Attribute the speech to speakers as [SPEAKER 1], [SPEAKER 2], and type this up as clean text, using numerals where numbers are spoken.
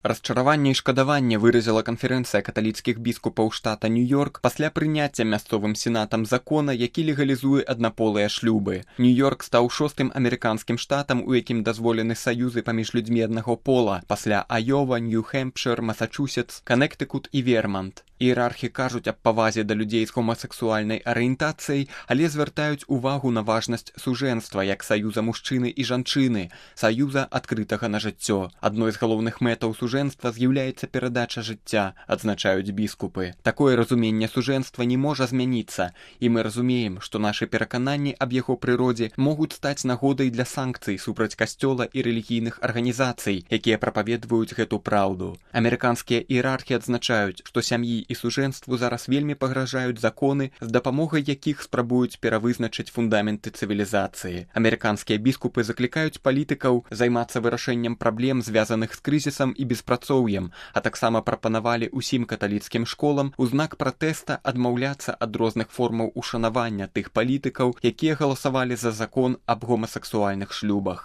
[SPEAKER 1] Расчараванне і шкадаванне выразіла канферэнцыя каталіцкіх біскупаў штата Нью-Йорк пасля прыняцця мясцовым сенатам закона, які легалізуе аднаполыя шлюбы. Нью-Йорк стаў 6-м амерыканскім штатам, у якім дазволены саюзы паміж людзьмі аднаго пола, пасля Айова, Нью-Хэмпшыр, Масачусетс, Канектыкут і Вермант. Іерархі кажуць аб павазе да людзей з гомасексуальнай арыентацыяй, але звяртаюць увагу на важнасць сужэнства як саюза мужчыны і жанчыны, саюза адкрытага на жыццё. Адной з галоўных мэтаў сужэнства з'яўляецца перадача жыцця, адзначаюць біскупы. Такое разуменне сужэнства не можа змяніцца, і мы разумеем, што нашы перакананні аб яго прыродзе могуць стаць нагодай для санкцый супраць касцёла і рэлігійных арганізацый, якія прапаведваюць гэту праўду. Амерыканскія іерархі адзначаюць, што сям'і і сужэнству зараз вельмі пагражаюць законы, з дапамогай якіх спрабуюць перавызначыць фундаменты цывілізацыі. Амерыканскія біскупы заклікаюць палітыкаў займацца вырашэннем праблем, звязаных з крызісам і беспрацоўем, а таксама прапанавалі ўсім каталіцкім школам у знак пратэста адмаўляцца ад розных формаў ушанавання тых палітыкаў, якія галасавалі за закон аб гомасексуальных шлюбах.